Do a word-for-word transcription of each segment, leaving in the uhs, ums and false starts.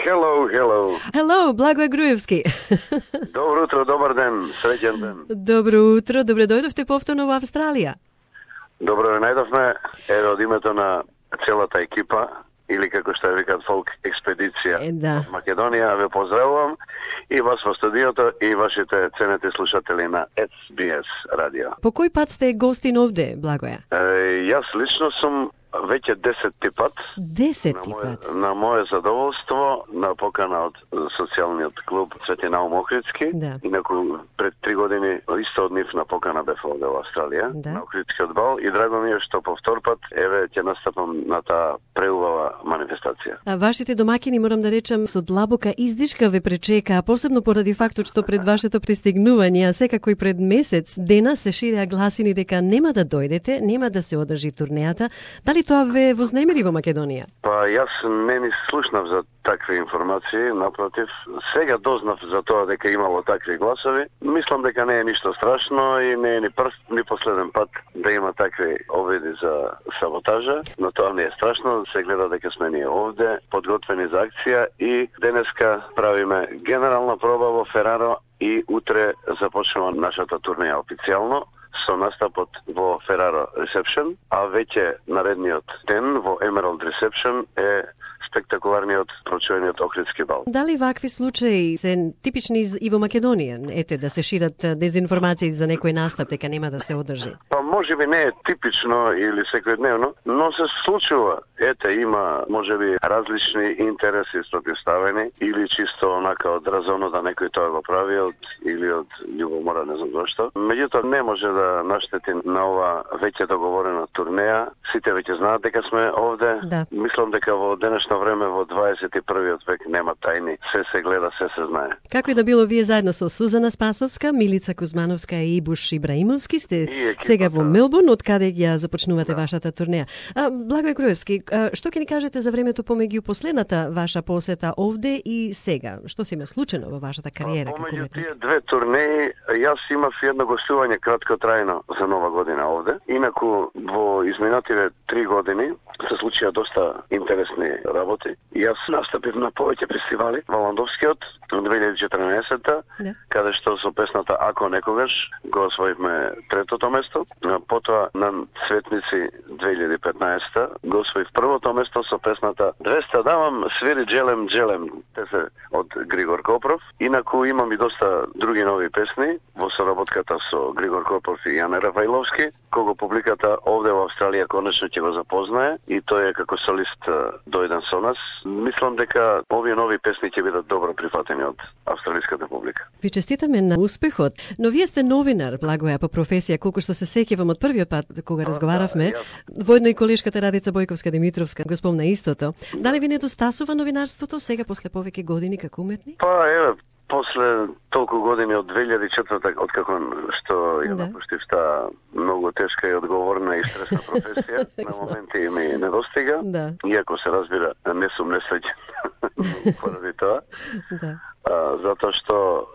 Hello, hello. Hello, Благој Груевски. Добро утро, добар ден, среќен ден. Добро утро, добре дојдовте повторно во Австралија. Добро ве најдовме, еве од името на целата екипа, или како што ја викаат фолк експедиција Е, да. од Македонија, ве поздравувам и вас во студиото и вашите ценети слушатели на Ес Би Ес радио. По кој пат сте гостин овде, Благоја? Е, јас лично сум веќе десетти пат. Десетти на моје, пат. на моје задоволство, на покана од социјалниот клуб Свети Наум Охридски. Да. Инаку пред три години исто од нив на покана бев овде во Австралија, Да. на Охридскиот бал, и драго ми е што по втор пат еве ќе настапам на таа преубава манифестација. А вашите домакини, морам да речам, со длабока издишка ве пречека, посебно поради фактот што пред вашето пристигнување, а секако и пред месец дена се ширеа гласини дека нема да дојдете, нема да се одржи турнејата. Дали тоа ве вознемири во Македонија? Па јас не ни слушнав за такви информации, напротив, сега дознав за тоа дека имало такви гласови. Мислам дека не е ништо страшно и не е ни прв, ни последен пат да има такви обиди за саботажа, но тоа не е страшно, се гледа дека сме ние овде, подготвени за акција и денеска правиме генерална проба во Фераро и утре започнува нашата турнеја официјално со настапот во Фераро Reception, а веќе наредниот ден во Emerald Reception е спектакуларниот прочувениот Охридски бал. Дали вакви случаи се типични и во Македонија? Ете, да се шират дезинформации за некој настап, дека нема да се одржи? Па можеби не е типично или секојдневно, но се случува. Ете, има можеби различни интереси спротивставени или чисто онака од разумно да некој тоа го прави од или од љубомора, не знам зошто. Меѓутоа не може да наштети на ова веќе договорена турнеја. Сите веќе знаат дека сме овде. Да. Мислам дека во денешно време во дваесет и првиот век нема тајни. Се се гледа, се се знае. Како и да било, вие заедно со Сузана Спасовска, Милица Кузмановска и Ибуш Ибраимовски сте екипата. сега во Мелбурн, од каде ја започнувате да. вашата турнеја. А, Благој Груевски, а, што ќе ни кажете за времето помеѓу последната ваша посета овде и сега? Што се има случено во вашата кариера како Помеѓу уметник? тие две турнеи, јас имав едно гостување краткотрајно за Нова година овде. Инаку во изминативе три години се случија доста интересни работи. Јас настапив на повеќе фестивали во Ландовскиот во две илјади и четрнаесетта, Да. каде што со песната Ако некогаш го освоивме третото место. Потоа на Цветници две илјади и петнаесетта го освоив првото место со песната двеста давам, свири джелем джелем. Те се од Григор Копров. Инаку имам и доста други нови песни во соработката со Григор Копров и Јане Рафаиловски, кого публиката овде во Австралија конечно ќе го запознае и тој е како солист дојден со нас. Мислам дека овие нови песни ќе бидат добро прифатени од австралиската публика. Ви честитаме на успехот, но вие сте новинар, Благоја, по професија, колку што се сеќавам од првиот пат кога разговаравме, да, воедно и колешката Радица Бојковска-Димитровска го спомна истото. Дали ви недостасува новинарството сега после повеќе години како уметник? Па еве, после толку години од две илјади и четврта, од како што ја Да. напуштив таа многу тешка и одговорна и стресна професија, на моменти ми недостига. Да. Иако се разбира, не сум несреќен поради тоа. Да. А, затоа што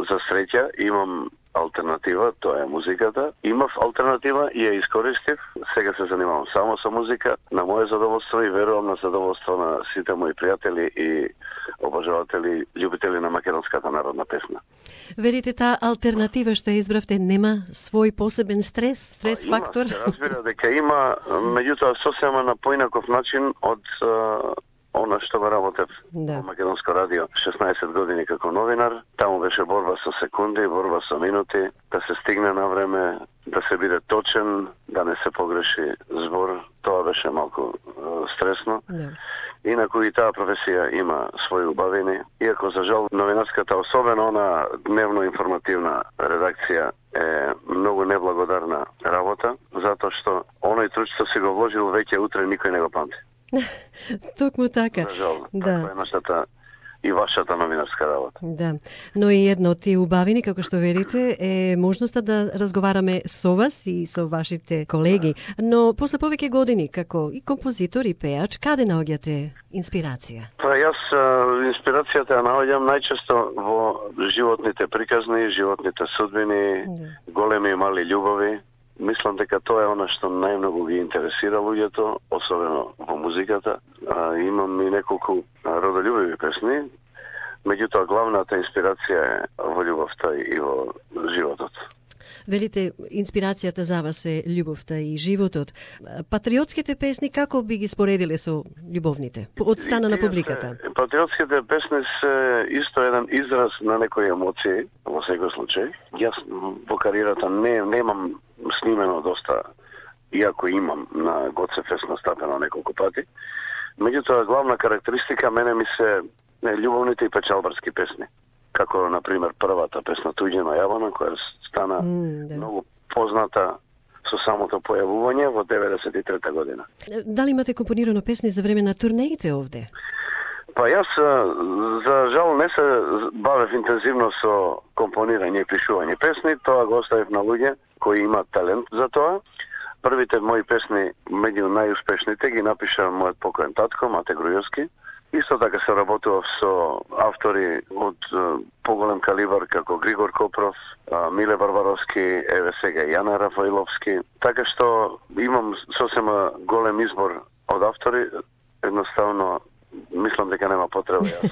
за среќа имам алтернатива, тоа е музиката. Имав алтернатива и ја искористив. Сега се занимавам само со музика, на моје задоволство и верувам на задоволство на сите мои пријатели и обожаватели, љубители на македонската народна песна. Верите, таа алтернатива што ја избравте нема свој посебен стрес, стрес Има, фактор? се разбира дека има, меѓутоа сосема на поинаков начин од а, она што го работев Да. во Македонско радио шеснаесет години како новинар. Таму беше борба со секунди, борба со минути, да се стигне на време, да се биде точен, да не се погреши збор. Тоа беше малку а, стресно. Да. Инаку и таа професија има своји убавини. Иако, за жал, новинарската, особено она дневно информативна редакција, е многу неблагодарна работа, затоа што оној труд што си го вложил веќе утре никој не го памти. Токму така. За жал, Да. таква е нашата и вашата новинарска работа. Да, но и едно од тие убавини, како што верите, е можноста да разговараме со вас и со вашите колеги. Но после повеќе години, како и композитор и пеач, каде наоѓате инспирација? Па јас а, инспирацијата ја наоѓам најчесто во животните приказни, животните судбини, Да. големи и мали љубови. Мислам дека тоа е она што најмногу ги интересира луѓето, особено во музиката. А, имам и неколку родолюбиви песни, меѓутоа главната инспирација е во љубовта и во животот. Велите, инспирацијата за вас е љубовта и животот. Патриотските песни како би ги споредиле со љубовните? Од стана на публиката. Патриотските песни се исто еден израз на некои емоции, во секој случај. Јас во кариерата не немам снимено доста, иако имам на Гоце Фест настапено неколку пати. Меѓутоа, главна карактеристика мене ми се љубовните и печалбарски песни. Како, например, првата песна Туѓина јавана, која стана mm, да. многу позната со самото појавување во деветдесет и трета година. Дали имате компонирано песни за време на турнеите овде? Па јас, за жал, не се бавев интензивно со компонирање и пишување песни, тоа го оставив на луѓе кои имаат талент за тоа. Првите мои песни, меѓу најуспешните, ги напиша мојот покоен татко, Мате Грујовски. Исто така се работував со автори од поголем калибар како Григор Копров, Миле Барбаровски, еве сега Јане Рафаиловски. Така што имам сосема голем избор од автори, едноставно мислам дека нема потреба јас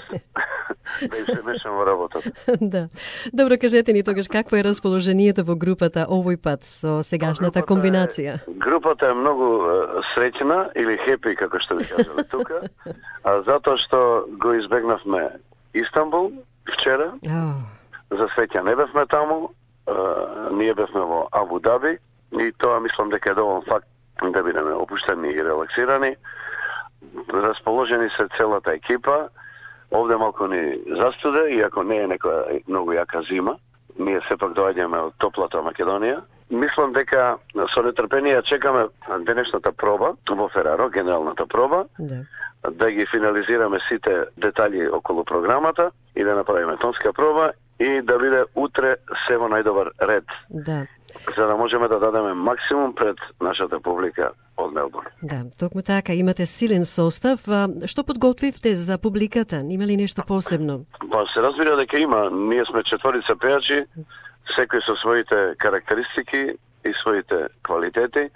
да им се мешам во работата. Да. Добро, кажете ни тогаш какво е расположението во групата овој пат со сегашната групата комбинација? Е, групата е многу е, среќна или хепи, како што ви кажале тука, а затоа што го избегнавме Истанбул вчера. Oh. За среќа не бевме таму, е, ние бевме во Абу Даби и тоа мислам дека е доволен факт да бидеме опуштени и релаксирани. Расположени се целата екипа. Овде малку ни застуде, иако не е некоја многу јака зима. Ние сепак доаѓаме од топлата Македонија. Мислам дека со нетрпение чекаме денешната проба во Фераро, генералната проба, да, да ги финализираме сите детали околу програмата и да направиме тонска проба и да биде утре се во најдобар ред. Да. За да можеме да дадеме максимум пред нашата публика од Мелбурн. Да, токму така, имате силен состав. А, што подготвивте за публиката? Има ли нешто посебно? Па се разбира дека има. Ние сме четворица пејачи, секој со своите карактеристики и своите квалитети.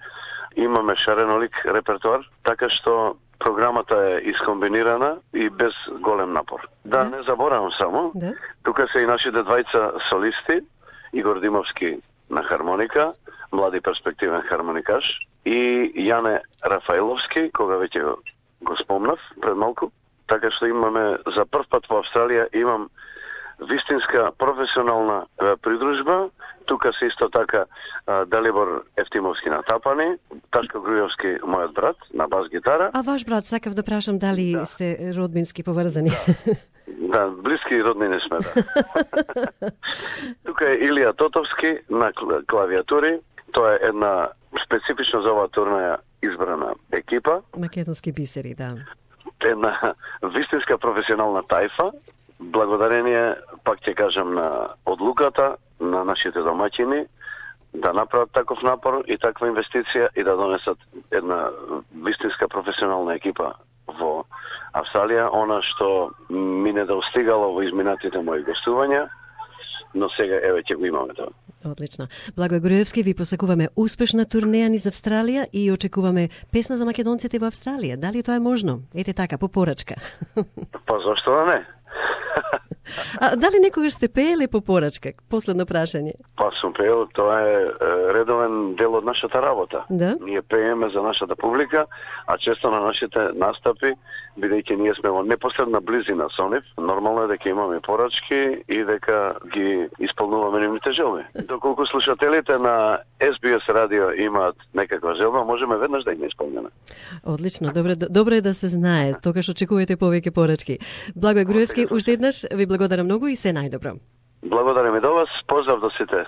Имаме шаренолик репертуар, така што програмата е искомбинирана и без голем напор. Да, да. Не заборавам само, да. Тука се и нашите двајца солисти, Игор Димовски на хармоника, млади перспективен хармоникаш, и Јане Рафаиловски, кога веќе го, го спомнав пред малку. Така што имаме за прв пат во Австралија имам вистинска професионална е, придружба. Тука се исто така е, Далибор Ефтимовски на тапани, Ташко Грујовски, мојот брат, на бас гитара. А ваш брат, сакав да прашам дали да. сте родбински поврзани? Да. Да, блиски роднини сме, да. Тука е Илија Тотовски на клавиатури. Тоа е една специфично за оваа турнеја избрана екипа. Македонски бисери, да. Една вистинска професионална тајфа. Благодарение, пак ќе кажам, на одлуката на нашите домаќини да направат таков напор и таква инвестиција и да донесат една вистинска професионална екипа во Австралија, она што ми не достигало во изминатите мои гостувања, но сега еве ќе го имаме тоа. Одлично. Благој Груевски, ви посакуваме успешна турнеја низ Австралија и очекуваме песна за македонците во Австралија. Дали тоа е можно? Ете така, по порачка. Па зошто да не? А дали некогаш сте пееле по порачка? Последно прашање. Па сум пеел, тоа е редовен дел од нашата работа. Да? Ние пееме за нашата публика, а често на нашите настапи, бидејќи ние сме во непосредна близина со нив, нормално е дека имаме порачки и дека ги исполнуваме нивните желби. Доколку слушателите на Ес Би Ес радио имаат некаква желба, можеме веднаш да ги исполниме. Одлично, добро, добро е да се знае. Тогаш очекувате повеќе порачки. Благој Груевски, уште еднаш ви благодарам многу и се најдобро. Благодарам и до вас. Поздрав до сите.